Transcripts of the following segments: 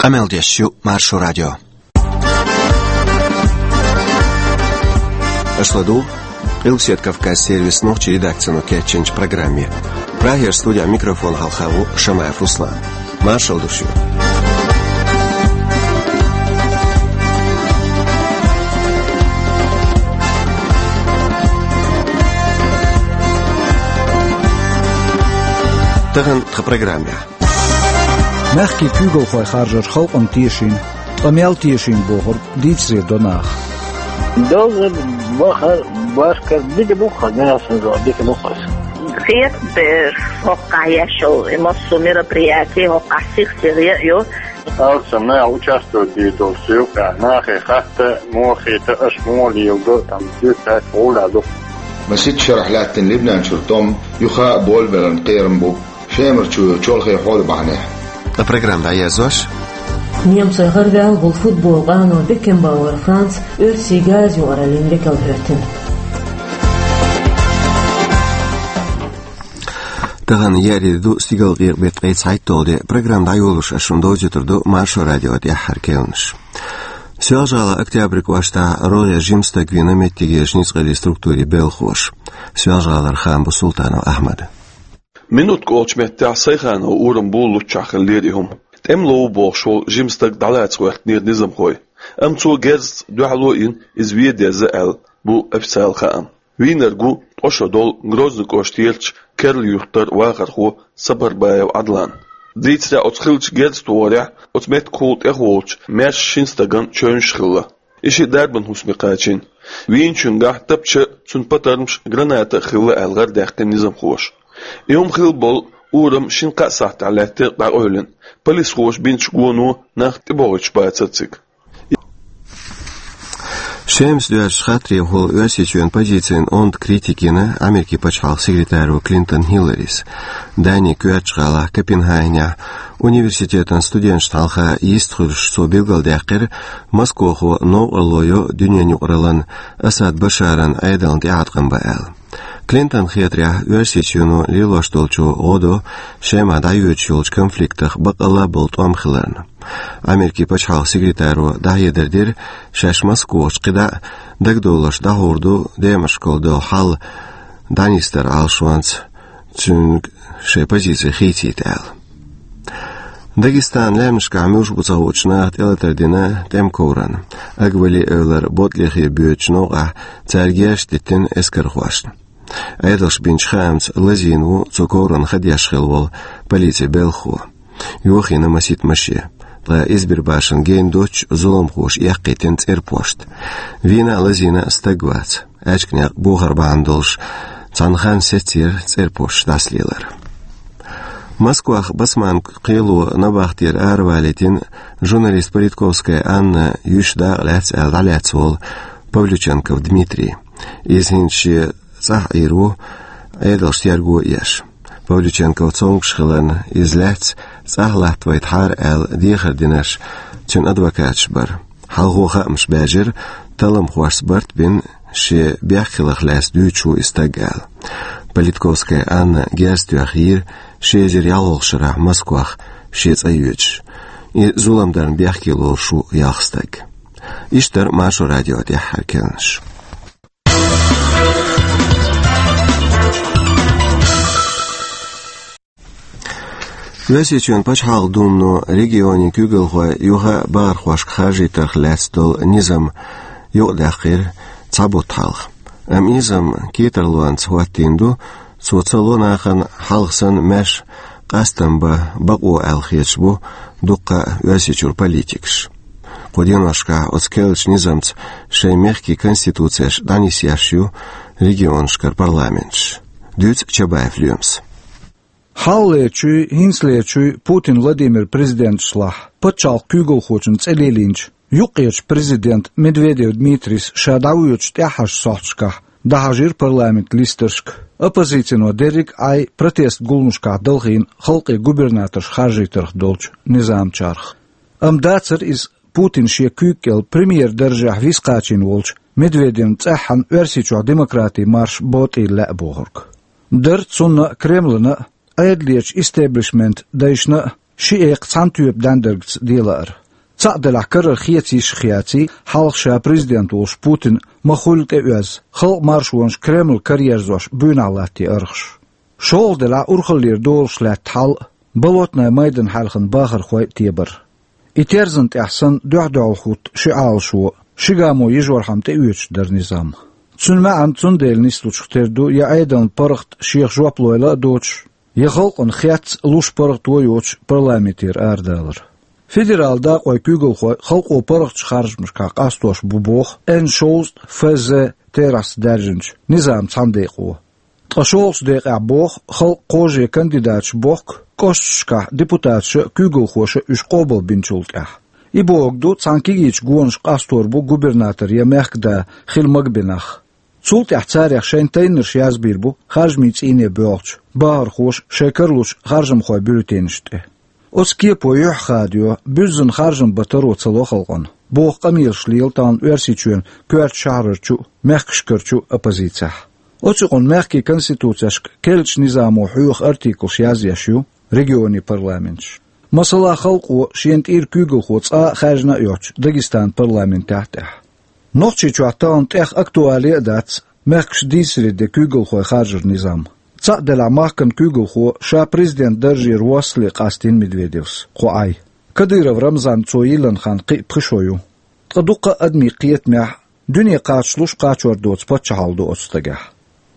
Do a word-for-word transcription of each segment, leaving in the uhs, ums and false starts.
Къамел деш ю Маршо радио. Аша ладугӀу Къилбаседа Кавказан сервисан нохчийн редакцино кечйинчу программе. Прагера студехь микрофон хьалха ву Шамаев Руслан. Маршалла ду шуьга. Тахана тхан программехь. Мехкийн куьйгалхой харжар халкъана тешийна, ткъа мел тешийна бохург дийцаре до наха. Довзар, бахар, башкар, дика бу-кх, генасанзо дика бу-кх аса. Хетабеш хӀокхахь еш йолу и массо мероприятие, хӀокхахь сих-сиха яа ю. Алсам нах участвовать дийр долу суьйхьехь, нахе хатта, мохийта, аша муха леладо, там, дуьйцу гӀуллакх ду. Масийтта шарахь лаьттина Либнан чуьра тӀом юха а болабеларна кхерам бу. Шемара чу чолхе хьоле бахьанехь. Ткъа программа дӀаерзош. Немцойн гӀараваьлла волу футболан къано Бекенбауэр Франц оьрсийн газа юкъараллин векал хӀоьттина. Тахана еарин де ду, стигалкъекъа беттан ткъе цхьайтталгӀа де. Программа дӀайолош ас шуна довзуьйтур ду Маршо радион тӀаьххьара кхаьънаш. Соьлжа-ГӀалахь Октябрь кӀоштахь рогӀера жима стаг вина меттигерчу ницкъаллин структурийн белхалоша. Соьлжа-ГӀалара хаам бо Султанов Ахьмада. Минутка олучу меттехь Сайханов урам була луччахь хиллера и хӀума. ТӀемало ву бохуш волу жима стаг дӀалаца гӀоьртинера низамхой. Амма цо герзаца дуьхьало а йина, иза вен деза аьлла, бу официалан хаам. Вийнарг ву ткъа шо долу Грозный кӀоштарчу керла юьртара вахархо Сапарбаев Ӏадлан. Дийцарехь, оцу хиллачу герза тохарехь оцу меттигехула тӀехволучу маьрша шина стагана чевнаш хилла. И шиъ дарбан хӀусаме кхачийна. Вийначуьнгахь тапча а, цуьнан патармаш а, граната а хилла аьлла гӀарадаьккхина низамхоша. И хӀума хилла болу урам шина-кхаа сахьтехь лаьттира дӀакъевлина. Полисхоша бинчу гоно нах тӀебогӀуьйтуш бацара цига. Шемас доьзначу хаттарехула Оьрсийчоьнан позицина онда критика йина Америкин пачхьалкхан секретаро Клинтон Хилларис. Данин коьртачу гӀалахь Копенгагенехь университетан студенташна хьалха йистхуьлуш цо билгалдаьккхира, Москвахо новкъарло йо дуьненан юкъараллина Асад Башаран Ӏедална тӀеӀаткъам бан аьлла. Клинтонна хетарехь, Оьрсийчоьно лелош долчо гӀо до Шемахь дӀайоьдуш йолчу конфликтах баккъалла а болу тӀом хиларна. Америкин пачхьалкхан секретаро дӀахьедар дира, шаьш Москвахочу кхидӀа а дагадовларш дӀахьур ду, Демашкал долу хьал дӀанисдар Ӏалашонца, цуьнга шайн позици хийцийта аьлла. Дагестанан лаьмнашкахь муьлш бу ца хуучу наха тӀелатар дина тӀеман коврана. Агвали-Эвлара Ботлихе боьдучу новкъахь цара герзаш диттина эскархошна. Ӏедалша бинчу хаамца, лазийна ву цу коврана хан деш хилла волу полицин белхахо. Йохийна масийтта машен, ткъа Избербашана гена доццуш зуламхоша эккхийтина цӀерпошт. Вийна а, лазийна а стаг вац. Аьчка некъ бохар бахьана долуш, цхьана ханна сецира цӀерпошташ дӀасалелар. Москвахь Басманка кхело набахтера аравалийтина журналист Политковская Анна йиш дакъа лаьцна аьлла дӀалаьцна волу Павлюченков Дмитрий. Иза хӀинца шен цӀахь Ӏийр ву, Ӏедалша терго а еш. Павлюченков цомгуш хиларна, иза лаьцна цӀахь латтавайтахьара аьлла дехар динарш цуьнан адвокаташа бара. Хьалхо хаамаш баьржира, талламхошца барт а бина, шен бехк хиларх лаьцна дуьйцуш ву и стаг аьлла. Политковская Анна герз тоьхна йийра ши эзар ялхолгӀачу шарахь Москвахь шен цӀа йоьдуш. И зулам дарна бехке лоруш ву ялх стаг. Иштта дара Маршо радион тӀаьххьара кхаьънаш. Оьрсийчоьнан Пачхьалкхан Думано регионийн куьйгалхой юха а бахархошка харжийтарх лаьцна долу низам юкъадаьккхира цхьа бутт хьалха. Амма низам кхетарлонца хӀоттийна ду, цо ца ло нахана хьалха санна маьрша къастам бан бакъо аьлла хеташ бу дуккха а Оьрсийчуьра политикаш. Кху деношкахь оцу керлачу низамца шайн мехкийн конституцеш дӀанисъеш ю регионашкара парламенташ. Дуьйцу Чабаев Лоьмас. Хьалхалерчуй, хӀинцалерчуй Путин Владимир президенташлахь пачхьалкхан куьйгалхочун цӀе лелийначу юккъерчу президента Медведев Дмитрийс ша дӀавоьдучу тӀаьххьарчу сохьташкахь дӀахьажийра парламентан листаршка оппозицино дерриг а Ӏай протест гуламашкахь далхийна халкъе губернаторш харжийтарх долчу низамчарх. Амма дацара иза Путин шен куьйга кӀел премьер даржехь виса кхачийна волчу Медведевна цӀеххьана Оьрсийчохь демократин марш ботӀийла лаьа бохург. Дара цунна а, Кремлана а, Ӏедалерчу истеблишментан дайшна а Ши экха цхьана тоьпан дӀаьндаргца делаара. Цхьаъ делахь, карара хеций йиш хеций, хьалха ша президент волуш Путин ма хуьллу тӀеоьзна, халкъан маршонаш Кремль караерзош буйнахь латтий аргӀаш. ШолгӀа делахь, урхаллера долуш лаьтта хьал а, Болотни майданна хьаьлхана бахархой а тебар. И терзан тӀехь санна дуьхь-дуьхьал хӀутту ши Ӏалашо, ши гамо йижархьама тӀеоьцуш дара низам. Цуьнан маьӀна цундела нислучух тера ду, я Ӏедална паргӀат шех жоп лойла а доцуш, я халкъана хецна луш паргӀато йоцуш парламентера арадалар. Федералан дакъойн куьйгалхой халкъо паргӀатчу харжамашкахь къастош бу боху Н шовзткъа Ф З терахьца даьржинчу низаман цхьана декъо. Ткъа шолгӀачу декъехь боху, халкъан кхаже кандидаташ бохку кӀошташкахь депутаташа а, куьйгалхоша а уьш къобалбинчул тӀаьхьа. И бохург ду, цхьана кегийчу гонашка къастор бу губернатор я мехкан да хила магабинарш. Цул тӀаьхьа царех шайн тайнарш язбийр бу харжамийн цӀийне боьлхучу бахархоша шайн кара лучу харжамхойн бюллетенаш тӀе. Оцу кепо юьхь хадайо, буьззина харжам бан таро ца ло халкъана, боху къамелаш лела тахана Оьрсийчоьнан коьртачу шахьарарчу а, мехкашкарчу а оппозицехь. Оцу юкъана мехкийн конституцешка керлачу низамо хьоьху артиклаш язъеш ю регионийн парламенташ. Масала, халкъо шена тӀера куьйгалхо цкъа а хаьржина а йоццуш Дагестанан парламентехь а тӀехь. Нохчийчохь тахана тӀех актуале а дац мехкаш дийцаре де куьйгалхой харжаран низам. Цхьаъ делахь, махкан куьйгалхо ша президент даржера воссале къастийна Медведевс кхо Ӏай. Кадыров Рамзан цо йиллина хан кхин а пхи шо ю. Ткъа дуккха а адамийн кхетамехь, дуьне кхачалуш кхачор доцу паччахьалла ду оцу стагехь.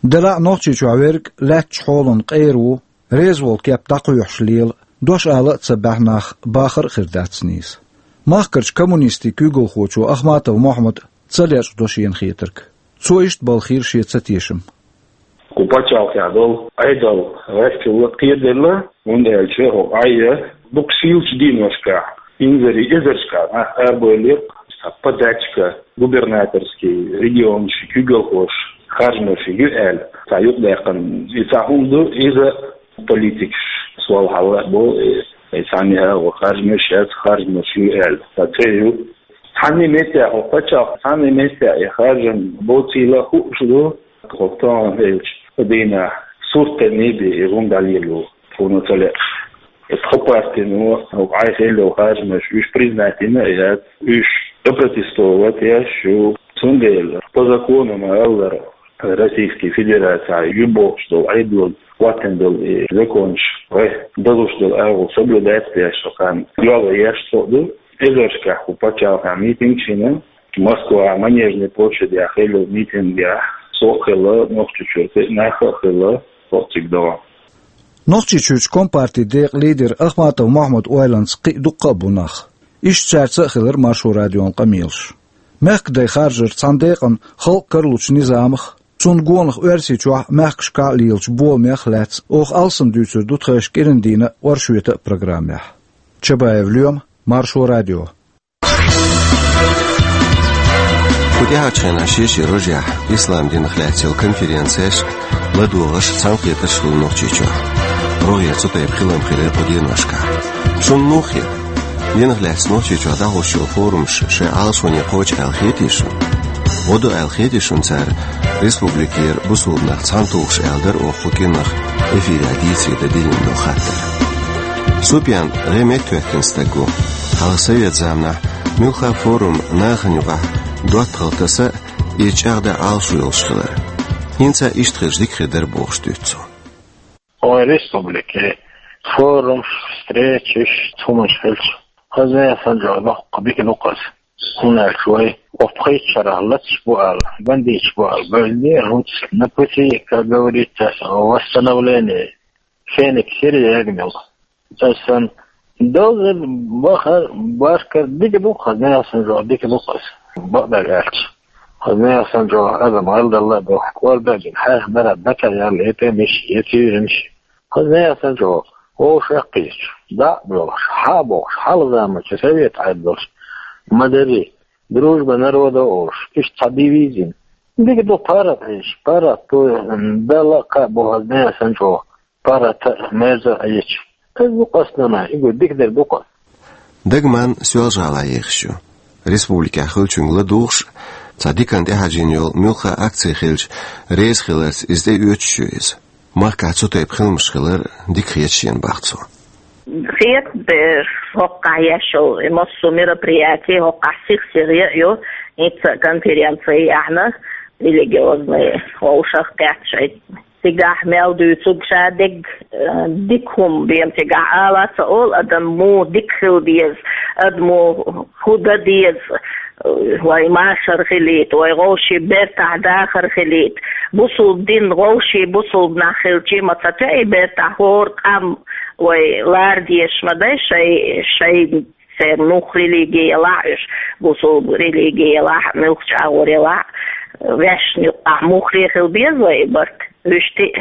Делахь а Нохчийчохь верг лаьттачу хьолан къера ву, реза волу кеп дӀакхоьхьуш лела, дош ала а ца баьхьнах бахар а хир дац нийса. Махкарчу коммунистийн куьйгалхочо Ахматов Мохьмада ца лечкъадо шена хетарг. Цо иштта балхийра шен цатешам. Кху пачхьалкхехь долу Ӏедал гӀерталла кхераделла, хӀунда аьлча хӀокху Ӏай дукха сийлачу дийнашкахь, инзаре эзаршкахь нах арабевлла, цхьа подачка губернаторский регионашкахь куьйгалхоша харжамаш ю аьлла, цхьа юкъадаьккхина и цхьа хӀума ду, иза политикаш сол хьалла а бу, и цхьанне а агӀо харжамаш яц, харжамаш ю аьлла, цхьа цӀе ю. Цхьанне меттехь хӀокху пачхьалкх, цхьанне меттехь и харжам боцийла хууш ду, хӀокху тахана хилча дийнахь суртанна бен и хӀума дӀалело, тхуна ца лаьа. И тхан партино хӀокху Ӏай хилла йолу харжамаш уьш признать йина а яц, уьш опротестовать еш ю. Цундела по закону ма-аллара, Российский Федерацехь ю бохуш долу Ӏедалан хӀоттийна долу и законаш, вай дозуш долу агӀо соблюдать деш, хан йола еш цо ду. Эзаршкахь кху пачхьалкхехь митингаш йина, Москвахь Манежная площадехь хилла митингехь со а хилла, Нохчийчуьра кхин а нах а хилла, хӀокху цига догӀу. Нохчийчуьрчу компартин декъан лидер Ахматов Мохьмадан ойланца кхин а дуккха а бу нах. Иштта цаьрца а хилира Маршо радион къамелаш. Мехкадай харжар цхьана декъана халкъ каралучу низамах, цунна гонах Оьрсийчохь а, мехкашкахь а лелачу боламех а лаьцна оха алсам дуьйцур ду тхайшка кӀиран дийнан а, оршотан а программехь. Чабаев Лоьма, Маршо радио. Кху тӀаьхьарчу хенахь шен-шен рожехь ислам динах лаьцна йолу конференцеш, ладогӀарш, цхьаьнакхетарш хуьлу Нохчийчохь. РогӀера цу тайпа хилам хилира кху деношкахь. Шуна муха хета? Динах лаьцна Нохчийчохь дӀахьош йолу форумаш шайн Ӏалашоне кхочу аьлла хетий шуна? ГӀо ду аьлла хетий шуна цара республикера бусулба нах цхьаьнатухуш аьлла дара оха кху кӀирнах эфирехь дийцаре дан диллина долу хаттар. Супьян гӀе меттахӀоьттина стаг ву. Хьалха совет заманахь муьлхха а форум нахана юкъахь доттагӀалла таса а, иза чӀагӀдан Ӏалашо йолуш хилар. ХӀинца иштта хилча дика хир дара бохуш дуьйцу цо. Вайн республике форумаш, встречаш, цхьа хӀуманаш хилча, хаза яхана жо доккха дика ду-кх аса. ХӀунда аьлча вай оцу пхийтта шарахь лацаш бу аьлла, бандиташ бу аьлла, бевлла дера хӀинца на пути, как говорится, восстановление. Феникс хир ягнал. Асан долзар бахар башкар дика ду-кх аса, яхана жо дика ду-кх аса. Бакъдар аьлча, хаза яхана жо адам гӀалдалла а ду, кӀордагӀа хьаьхна дара дакар яьлла, я тӀемаш, я тӀуьйранаш. Хаза яхана жо вовшах а кхийсача, дӀа а боьлхуш, хьа а бохуш, хьалха заманчу совет Ӏедалша ма-дарра, дружба народов олуш, иштта цхьа девиз йина. Дика ду паргӀат хьийзаш, паргӀат ту Далла а кхаъ бохаза дехьа санчӀо, паргӀата а, мерза а йича. Хаза ду-кх аса, нана, и гу дика дер ду-кх. Дагман Соьлжа-ГӀалахь ехаш ю. Республикехь хиллачуьнга ладугӀуш а, цхьа диканна тӀехьажийна йолу муьлхха а акци хилча, реза хиларца иза тӀеоьцуш ю иза. Махкахь цу тайпа хиламаш хилар дика хета шена, боху цо. Хеташ, хӀокхахь еш йолу и массо мероприяти, хӀокхахь сих-сиха ян а ю, хӀинца а конференци ахьа религиозный вовшах кхетта шайца. Цигахь мел дуьйцург ша дерг, э, дика хӀума бен цигахь ала а ца олу, адам муха дика хила деза, адамо хӀун дан деза, э, вай машар хилийта, вай вовшийн бертахь дахар хилийта. Бусулба дин вовшийн бусулба нах хилча ма ца тоьу и бертахь хӀора къам вай лара дезаш ма дай шай, шай церан муха религи ялахь уьш, бусулба религи ялахь, муьлххачу агӀор ялахь, ваьшна юккъехь муххале хила беза вай и барт. Уьш тӀе,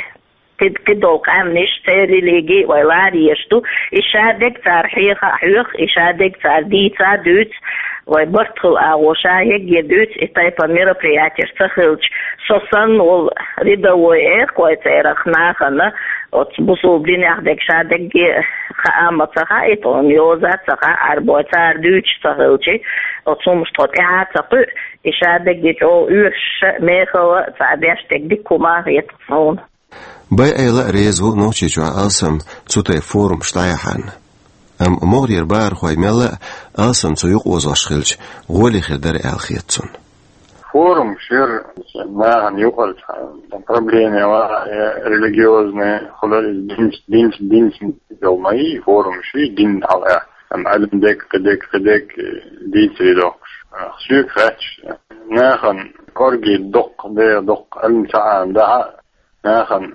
кхидолу къаьмнаш церан религи вай лара езаш ду, и ша дерг цара хьеха а хьоьху, и ша дерг цара дийца а дуьйцу, вай барт хуьлу агӀо ша хӀегге дуьйцу, и тайпа мероприятеш ца хилча, со санна волу рядовой, эх, вай церах нахана, оцу бусулба динех дерг ша дерг хаа а ма ца хаьа, и тхуна йоза а ца хаьа, Ӏарбой цара дуьйцуш ца хилча, оцу хӀуманаш тхо тӀаьхьа а ца кхуьу, и ша дерг чӀогӀа оьшуш а, мехала а цхьа деш дерг дика хӀума а хета суна. Байъайла а реза ву Нохчийчохь алсам цу тайпа форумаш дӀаяхьарна. Амма могӀарера бахархой мелла а алсам цу юкъаозош хилча, гӀоле хир дара аьлла хета цунна. Форумаш яра нахана юкъара цхьа проблема яла, я религиозная, хӀума иза динца, динца, динца йолу ма йий форумаш, дин хьала. Амма Ӏилма дерг, кхидерг, кхидерг дийцаре доккхуш. Соьга хаьттича, нахана кӀорге доккха, дера доккха Ӏилма ца Ӏамадахь а, нахана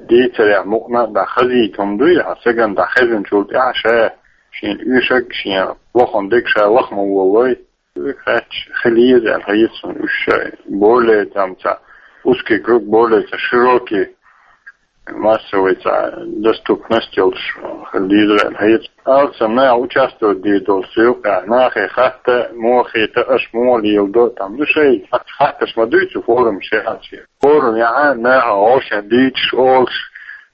дийцарех мукъана а дӀахазийта хӀума дуй, хьан стагана дӀахезначул тӀаьхьа ша шен оьшург, шен лахана дерг ша лаха ма волалой. Соьга хаьттича, хила еза аьлла хета суна уьш шайн более там цхьа узкий круг, более цхьа широкий массовый цхьа доступность йолуш хила дезара аьлла хета. Алсам наха участвовать дийр долу цу юкъехь, нахе хатта, мохе та аша муха леладо, там, ну, шайн хатташ ма дуй цу форумашкахь. Форум яхьа, наха вовшех дийцаш, олуш,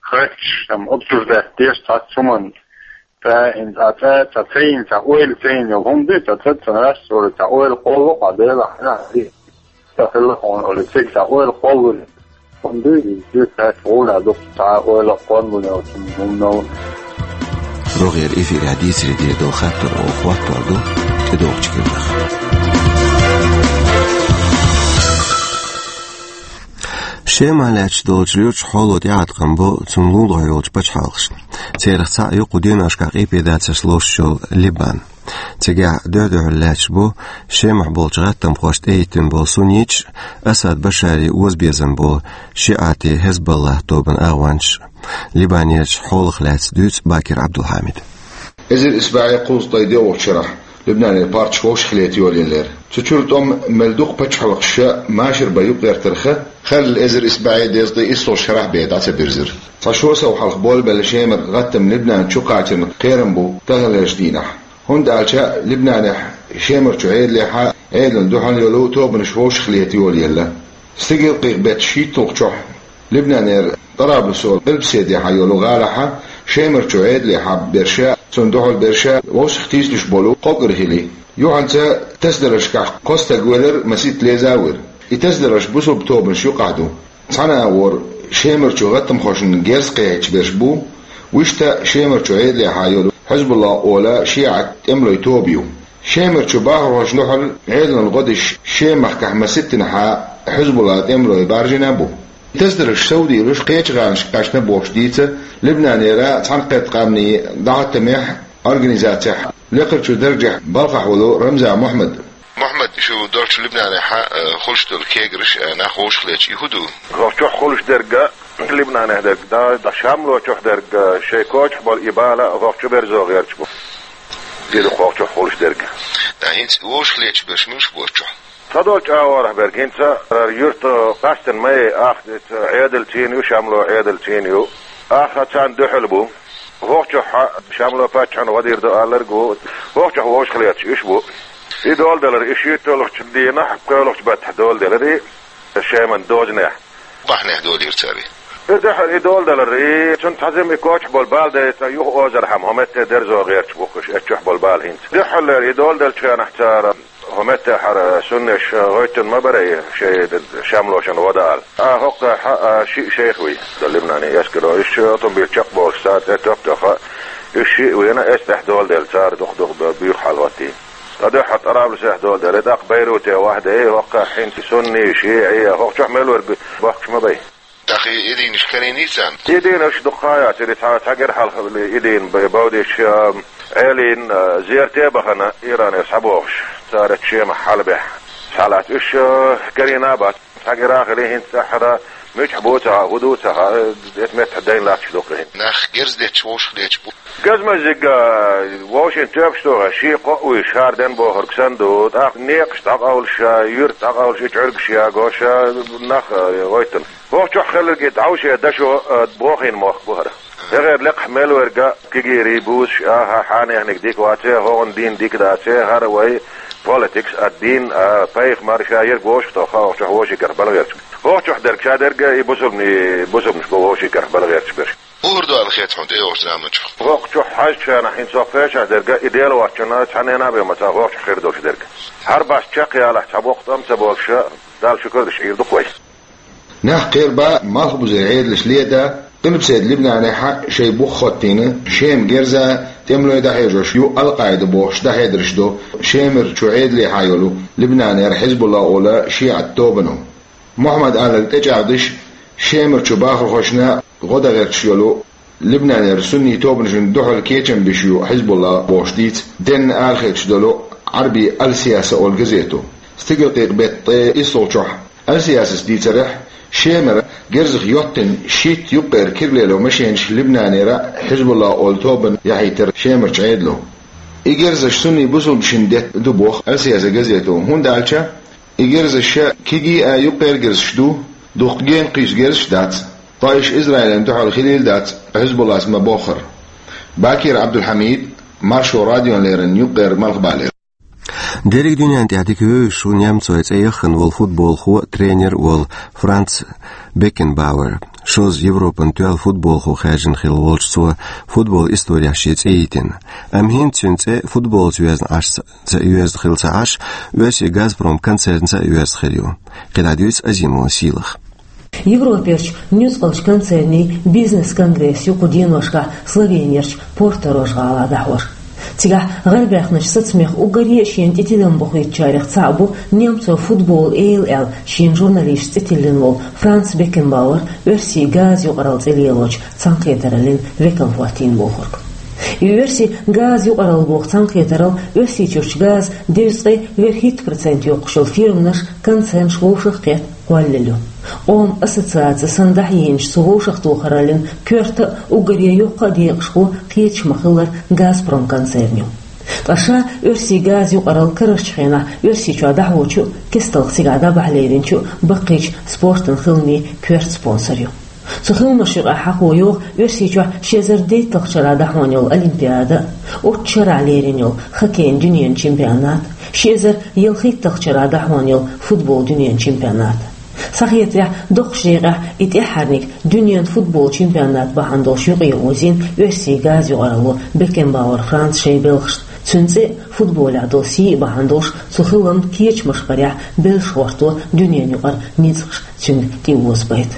хатташ, там, обсуждать деш цхьацца хӀуманна. Ткъа хӀинца цхьа цӀа, цхьа цайна, цхьа ойла цайна йолу хӀума ду, цхьа цӀа ца Ӏаш, цо цхьа ойла кхолло, къа Делахь хьан а ди. Ца хилла хьуна олу, цига цхьа ойла кхоллалур. ХӀума ду, иза цхьа гӀуна дукха цхьа ойла кхоллалур йолчун хӀуманал. РогӀера эфирехь дийцаре дийр долу хаттар оха хӀоттор ду тӀедогӀучу кепара. Шемахь лаьтташ долчу луьрачу хьоло тӀеӀаткъам бо цунна лулахь йолчу пачхьалкхашна. Церах цхьаъ ю кху деношкахь къепедацарш лоруш йолу Либан. Цигахь дуьхь-дуьхьал лаьтташ бу Шемахь болчу гӀаттамхошна тӀехӀиттина болу сунниташ а, Асад Башаре озабезам болу шиӀатийн Хезболлах тобанан агӀончаш а. Либанерчу хьолах лаьцна дуьйцу Бакир Абдулхьамида. Эзар исс бӀе кхузткъе доьалгӀачу шарахь Либнанера паччахь вовшахлета йолаеллера. Цу чуьра тӀом мел дукха пачхьалкхаша машар бан юкъагӀертарх, хилла эзар исс бӀе дезткъе иссалгӀачу шарахь бен дӀа ца бирзира. Цхьа шо сов хьалха болабелла Шемара гӀаттам Либнан чу кхачарна кхерам бу таханлерчу дийнахь. ХӀунда аьлча Либнанехь Шемарчу Ӏедалехьа а, Ӏедална дуьхьал йолу тобанаш вовшахлета йолаелла. Стигал кхин беттан шийтталгӀачохь Либнанера Тӏараблусо Ӏилбаседехьа йолу гӀалахьа Шемарчу Ӏедалехьа берша, цунна дуьхьал берша вовшах тийсалуш болу кхо кӀира хили. Юьхьанца тасадаршкахь кхо стаг велар, масийтта леза а вира. И тасадарш бусулба тобанаш юкъахь ду. Цхьана агӀор Шемарчу гӀаттамхошна герз кхехьийташ берш бу, вуьшта Шемарчу Ӏедалехьа йолу Хьизбулла олу шиӀат тӀемалойн тоба ю. Шемарчу бахархошна дуьхьал Ӏедална гӀо деш Шемахкахь маситтанхьа Хьизбулла тӀемалой баржийна бу. Тасадарш совдийлуш кхечу гӀанашка кхаьчна бохуш дийца Либнанера цхьаьнакхетта къаьмнийн дӀахӀоттамехь организацехь лекхарчу даржехь балхахь волу Рамзан Мухьаммад. Мухьаммад, шу долчу Либнанехьа, э, хуьлуш долу кегарш, э, нах вовшахлеташ, и хӀун ду? Вахчохь хуьлуш дерг, Либнанехь дерг, да, да Шамлочохь дерг, э, шайн кочахь болу и бала вахчу берзо гӀерташ бу. Диру кхочух хуьлуш дерг. Да, хӀинца вовшахлеташ берш муьлш бу вахчохь? Ца долчу агӀорах берг, хӀинца юрт къастина ма яй, ах, Ӏедал цӀийна ю, Шамло Ӏедал цӀийна ю. Ах царна дуьхьал бу. Вахчохь Шамло паччахьна гӀо дийр ду алларг ву. Вахчохь вовшахлеташ уьш бу. И доладелар, и шийтталгӀачу дийнахь, пхоьалгӀачу баттахь доладелар и Шеман дозанехь. Бахьанехь долийра цара и? И дуьхьал и доладелар, и цунна цхьа зима и кочахь болу бала дайта юха озархьама, хӀокху метте дерзо гӀерташ бу уьш, эццахь болу бала хӀинца. Дуьхьал и доладеллачу хенахь цара хӀокху метте хӀара суннаш гӀоьттина ма бара и шайн Шамлошна гӀо дан аьлла. А хӀокху хьа, а, шиъ шайх вуй, дан Либнанан эскаро. Уьш автомобиль чекхдолуш сацӀе топ тоха, Уьш шиъ вена эс тӀехь доладелла, цара дукха-дукха б-, буьйха хьал хӀоттийна. Ткъа дуьххьара ТӀарабулусе доладелла, тӀаккха Байруте вахьде, хӀоккхахь хӀинца сунни, шиъи, хӀокху чохь мел верг бохкуш ма бай. ТӀаккха и, и дийнаш карийний царна? И дийнаш дукха яцара, цхьа, цхьа гергга хьалха и дийна б-, бовдийча, а, Ӏелийна, а, зерате а бахана, Иране схьабохуш, цара Шемахь хьалабаьхьа. Схьалаьцна уьш, а, карийна а бац. Цхьа гергга хилла хӀинца тӀаьххьара, муьтӀахь бу ца хаьа, хӀун ду ца хаьа, э, эта метта дайна латташ ду-кх хӀинца. Нах герз детташ вовшах леташ бу. Газмаззиг, э, вовшийн тоьпаш тухуш, ший кхоъ вуьйш, хӀара ден бохург санна ду, тӀаккха некъаш дӀакъовлуш, юьрт дӀакъовлуш, и чӀуьргаш ягош, нах, э, гӀоьттина. ХӀокху чохь хилларг и дӀовше дашо, э, бохийна мохк бу хӀара. ХӀара лекхахь мел верг кегийрий, бузаш, аха, хьанехниг дика вац, хӀокхуьнан дин дика дац, хӀара вай политикс а, дин а, пайхамар ша ерг вовшах тоху, хӀокху чохь вовшийн карахь бала гӀерташ. ХӀокху чохь дерг ша дерг, и бусулбани-, бусулбанаш бу вовшийн карахь бала гӀерташ берш. Муха ду аьлла хета хьуна тӀейогӀучу заманчохь? ХӀокху чохь хьаьжча шена хӀинца хӀокху пхеа шарахь дерг, и Дела воцчунна цхьаннена а бен ма ца хӀокху чохь хир долуш дерг. ХӀара бац чекхъялахь цхьа боккха тӀом ца болуш, Далла шукар деш Ӏийр ду-кх вай. Нах кхерабо малхбузера Ӏедалш леда, Къилбаседа Либнанехь шайн бух хӀоттийна, Шема герза, тӀемалой дӀахьежош ю Ал-Къаида бохуш дӀахьедарш до, Шемара чу Ӏедалехьа йолу Либнанера Хьизбулла олу шиӀат тобано. Мухьаммад Аллах тӀечӀагӀдеш, Шемара чу бахархошна гӀо дан гӀерташ йолу Либнанера сунний тобанашна дуьхьал кечам беш ю Хьизбулла бохуш дийца денна арахецаш долу Ӏарби Ал-Сияса олу газето. Стигалкъекъа беттан ткъе иссалгӀачохь Ал-Сиясас дийцарехь, Шемара герзах йоттина шийтта юккъера кира лело машенаш Либнанера Хьизбулла олу тобанна яхьийтира Шемарчу Ӏедало. И герзаш сунний бусулбанашна детта ду боху Ал-Сияса газето, хӀунда аьлча и герзаш кегий а, юккъера герзаш ду, дукха гена кхуьйсу герзаш дац. Ткъа уьш Израилна дуьхьал хилийла дац, Хьизбуллас ма-боххара. Бакир Ӏабдулхьамид, Маршо радиона леррина юккъера малхбалера. Дерриг дуьнен тӀехь дика вевзаш ву немцойн цӀе яххана волу футболхо, тренер волу Франц Беккенбауэр. Шозза Европан тоьлла футболхо хаьржина хилла волчу цо футбол историяхь шен цӀе йитина. Амма хӀинца цуьнан цӀе футболца йоьзна Ӏаш ца, ца йоьзна хилла ца Ӏаш, оьрсийн «Газпром» концернца а йоьзна хир ю. КхидӀа дуьйцу Азимова Сийлаха. Европерчу нуьцкъалчу концернийн бизнес-конгресс ю кху деношкахь Словенерчу Порторож-гӀалахь дӀахьош. Цигахь гӀарабаьхначу сацамех уггаре а шена тӀе тидам бохуьйтучарех цхьаъ бу немцойн футболан эла аьлла шена журналисташца цӀе тиллина волу Франц Беккенбауэр, оьрсийн газа юкъаралла цӀе лелочу цхьаьнакхетараллин векал хӀоттийна бохург. И оьрсийн газа юкъаралла боху цхьаьнакхетаралла Оьрсийчуьрчу газан дезткъе верхӀитта процент йоккхуш йолу фирманаш, концернаш вовшах а кхетта кхоллаелла ю. Къоман ассоциаци санна дӀахьийначу цу вовшахтохараллин коьрта а уггаре йоккха а декъашхо кхеташ ма-хиллара «Газпром» концерн ю. Ткъа ша оьрсийн газа юкъаралла карарчу хенахь Оьрсийчохь дӀахьочу а, кестта цигахь дӀабахьа леринчу а баккхийчу спортан хиламийн коьрта спонсор ю. Цу хиламаша юкъахь хьахо йогӀу Оьрсийчохь ши эзар дейтталгӀачу шарахь дӀахьош йолу Олимпиада, оццу шарахь лерина йолу хоккейн дуьненан чемпионат, ши эзар ялхитталгӀачу шарахь дӀахьош йолу футболан дуьненан чемпионат. Схьахетарехь, доккхачу декъехь и тӀаьххьарниг дуьненан футболан чемпионат бахьана долуш юкъаозийна оьрсийн газа юкъаралло Беккенбауэр Франца шайн белхашна. Цуьнан цӀе а, футболехь долу сий а бахьана долуш, цу хиламан кечамаш барехь, белш гӀорто дуьненан юкъара ницкъаш цуьнга тӀеозабайта.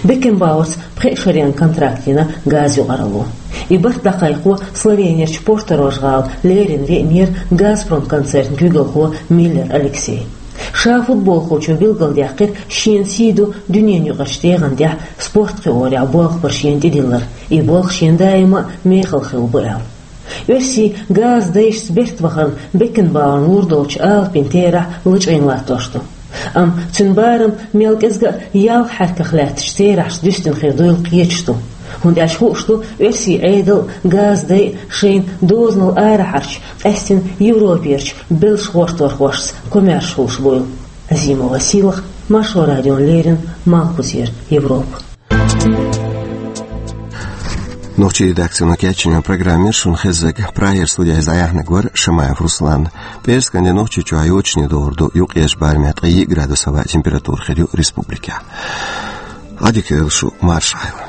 Беккенбауэрца пхеа шарийн контракт йина газа юкъаралло. И барт дӀакхайкхо Словенерчу Порторож-гӀала леррина веанера «Газпром» концернан куьйгалхо Миллер Алексей. Ша футболхочо билгалдаьккхира, шена сий ду дуьненан юкъарчу дегӀан тӀехь спорт кхиорехь болх бар шена тӀедиллар, и болх шена даима а мехала хилла бу аьлла. Оьрсийн газа дайшца берта вахарна Беккенбауэрна лур долчу алапийн терахь лачкъийна латтош ду. Амма цуьнан барам мел кӀезга а ялх хьаькамах лаьттачу терахьца дуьстина хир дуйла кхеташ ду. ХӀунда аьлча хууш ду, оьрсийн Ӏедал а, газа дай а шайна дозанал арахьарчу, къаьсттина Европерчу белш гӀорторхошца комаьрша хуьлуш буйла. Азимова Сийлаха, Маршо радиона леррина, Малхбузера Европа. Нохчийн редакцино кечйина программа яра шуна хезнарг. Прагера студехь иза дӀаяьхьнарг вара Шамаев Руслан. ПӀераскан де Нохчийчохь йочане догӀур ду, юккъерчу барамехь ткъе йиъ градус хӀаваъ температура хир ю республикехь. Ӏадика йойла шу, марша Ӏойла.